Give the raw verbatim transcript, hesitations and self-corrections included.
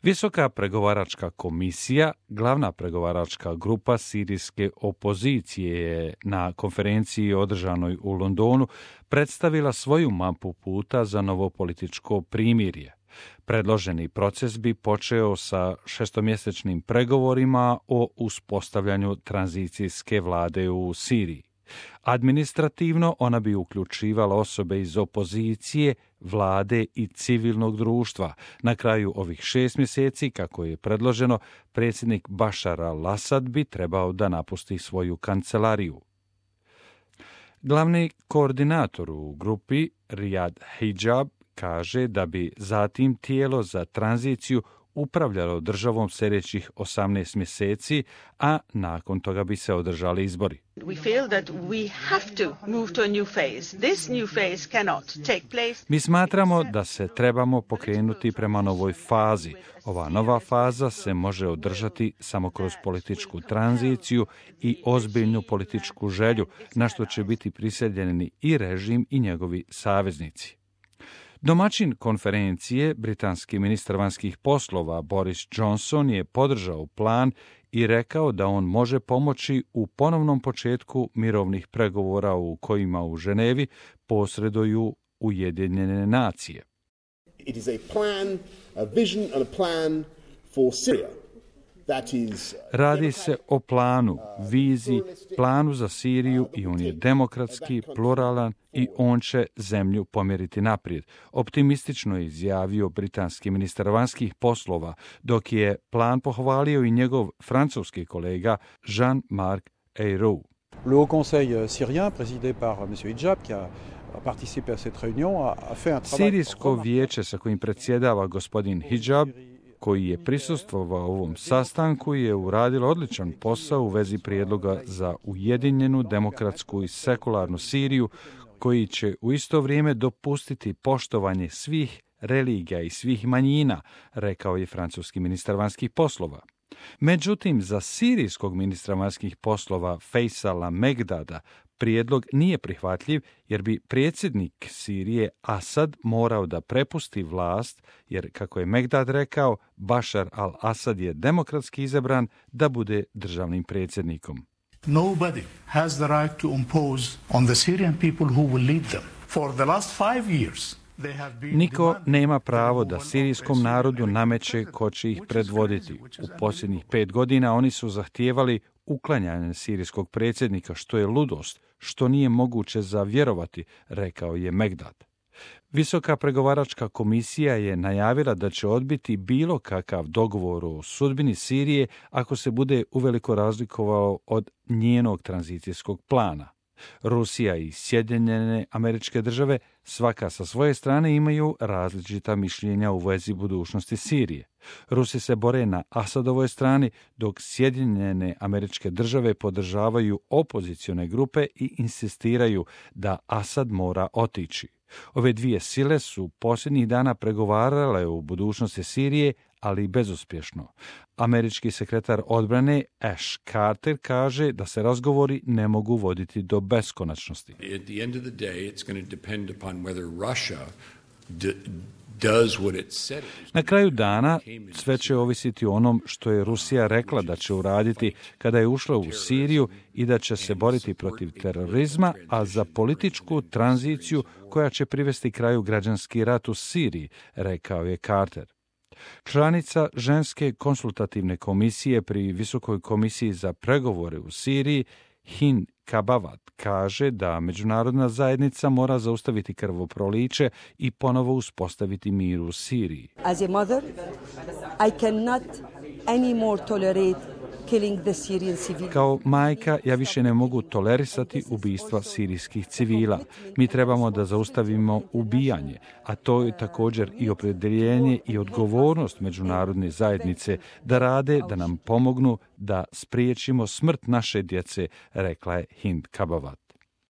Visoka pregovaračka komisija, glavna pregovaračka grupa sirijske opozicije, je na konferenciji održanoj u Londonu predstavila svoju mapu puta za novo političko primirje. Predloženi proces bi počeo sa šestomjesečnim pregovorima o uspostavljanju tranzicijske vlade u Siriji. Administrativno ona bi uključivala osobe iz opozicije, vlade i civilnog društva. Na kraju ovih šest mjeseci, kako je predloženo, predsjednik Bašar al-Asad bi trebao da napusti svoju kancelariju. Glavni koordinator u grupi, Riyad Hijab, kaže da bi zatim tijelo za tranziciju upravljalo državom sljedećih osamnaest mjeseci, a nakon toga bi se održali izbori. Mi smatramo da se trebamo pokrenuti prema novoj fazi. Ova nova faza se može održati samo kroz političku tranziciju i ozbiljnu političku želju, na što će biti prisiljeni i režim i njegovi saveznici. Domaćin konferencije, britanski ministar vanjskih poslova Boris Johnson, je podržao plan i rekao da on može pomoći u ponovnom početku mirovnih pregovora u kojima u Ženevi posreduju Ujedinjene nacije. It is a plan, a vision and a plan for Syria. Radi se o planu, viziji, planu za Siriju i on je demokratski, pluralan i on će zemlju pomjeriti naprijed. Optimistično je izjavio britanski ministar vanjskih poslova, dok je plan pohvalio i njegov francuski kolega Jean-Marc Ayrault. Le Haut Conseil syrien, présidé par monsieur Hijab, qui a participé à cette réunion, a fait un travail. Sirijsko vijeće sa kojim predsjedava gospodin Hijab, koji je prisustvovao ovom sastanku, je uradilo odličan posao u vezi prijedloga za ujedinjenu, demokratsku i sekularnu Siriju, koji će u isto vrijeme dopustiti poštovanje svih religija i svih manjina, rekao je francuski ministar vanjskih poslova. Međutim, za sirijskog ministra vanjskih poslova Faisala Megdada prijedlog nije prihvatljiv, jer bi predsjednik Sirije Asad morao da prepusti vlast, jer, kako je Megdad rekao, Bašar al-Asad je demokratski izabran da bude državnim predsjednikom. Nobody has the right to impose on the Syrian people who will lead them. For the last five years, Niko nema pravo da sirijskom narodu nameće ko će ih predvoditi. U posljednjih pet godina oni su zahtijevali uklanjanje sirijskog predsjednika, što je ludost, što nije moguće za vjerovati, rekao je Megdad. Visoka pregovaračka komisija je najavila da će odbiti bilo kakav dogovor o sudbini Sirije ako se bude uveliko razlikovao od njenog tranzicijskog plana. Rusija i Sjedinjene Američke Države svaka sa svoje strane imaju različita mišljenja u vezi budućnosti Sirije. Rusi se bore na Asadovoj strani, dok Sjedinjene Američke Države podržavaju opozicione grupe i insistiraju da Asad mora otići. Ove dvije sile su posljednjih dana pregovarale o budućnosti Sirije, ali bezuspješno. Američki sekretar odbrane Ash Carter kaže da se razgovori ne mogu voditi do beskonačnosti. At the end of the day, it's going to depend upon whether Russia d- does what it said it was. Na kraju dana sve će ovisiti o onom što je Rusija rekla da će uraditi kada je ušla u Siriju i da će se boriti protiv terorizma, a za političku tranziciju koja će privesti kraju građanski rat u Siriji, rekao je Carter. Članica ženske konsultativne komisije pri Visokoj komisiji za pregovore u Siriji, Hind Kabavat, kaže da međunarodna zajednica mora zaustaviti krvoproliće i ponovo uspostaviti mir u Siriji. As a mother, I cannot anymore tolerate killing the Syrian civilians. Kao majka, ja više ne mogu tolerisati ubistva sirijskih civila. Mi trebamo da zaustavimo ubijanje, a to je također i opredjeljenje i odgovornost međunarodne zajednice da rade, da nam pomognu da spriječimo smrt naše djece, rekla je Hind Kabavat.